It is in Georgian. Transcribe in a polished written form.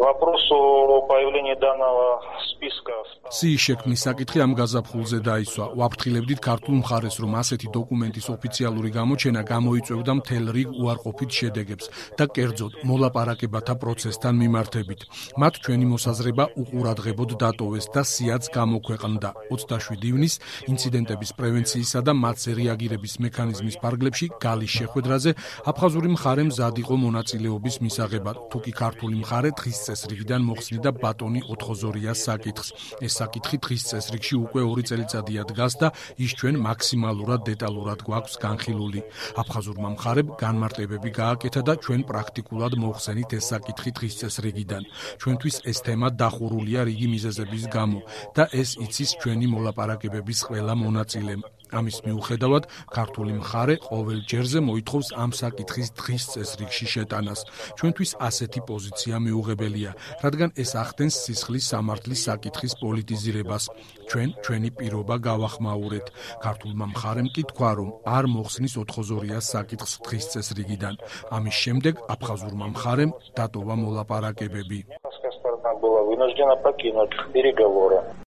Вопрос о появлении данного списка. სიის შექმნის საკითხი ამ გაზაფხულზე დაისვა. ვაფრთხილებდით ქართულ მხარეს, რომ ასეთი დოკუმენტის ოფიციალური გამოჩენა გამოიწვევდა მთელ რიგ უარყოფით შედეგებს და კერძოდ მოლაპარაკებათა პროცესთან მიმართებით. მათ ჩვენი მოსაზრება უყურადღებოდ დატოვეს და სიაც გამოქვეყნდა. 27 ივნისს ინციდენტების პრევენციისა და მათზე რეაგირების მექანიზმის ფარგლებში გალის შეხვედრაზე აფხაზური მხარე მზად იყო მონაწილეობის მისაღებად. თუკი ქართული მხარე დღის წესრიგიდან მოხსნიდა ბატონი ოთხოზორიას საკითხს. ეს საკითხი დღის წესრიგში უკვე 2 წელიწადია დგას და ის ჩვენ მაქსიმალურად დეტალურად გვაქვს განხილული. აფხაზურმა მხარემ განმარტებები გააკეთა და ჩვენ პრაქტიკულად მოხსენით ეს საკითხი დღის წესრიგიდან. ჩვენთვის ეს თემა დახურულია რიგი მიზეზების გამო და ეს იცის ჩვენი მოლაპარაკებების ყველა მონაწილემ. ამის მიუხედავად, ქართული მხარე ყოველ ჯერზე მოითხოვს ამ საკითხის დღის წესრიგში შეტანას. ჩვენთვის ასეთი პოზიცია მიუღებელია, რადგან ეს ახდენს სისხლის სამართლის საკითხის პოლიტიზირებას. ჩვენი პირობა გავახმაურეთ. ქართულმა მხარემ კი თქვა, რომ არ მოხსნის ოთხოზორიას საკითხს დღის წესრიგიდან. ამის შემდეგ აფხაზურმა მხარემ დატოვა მოლაპარაკებები. Была вынуждена покинуть переговоры.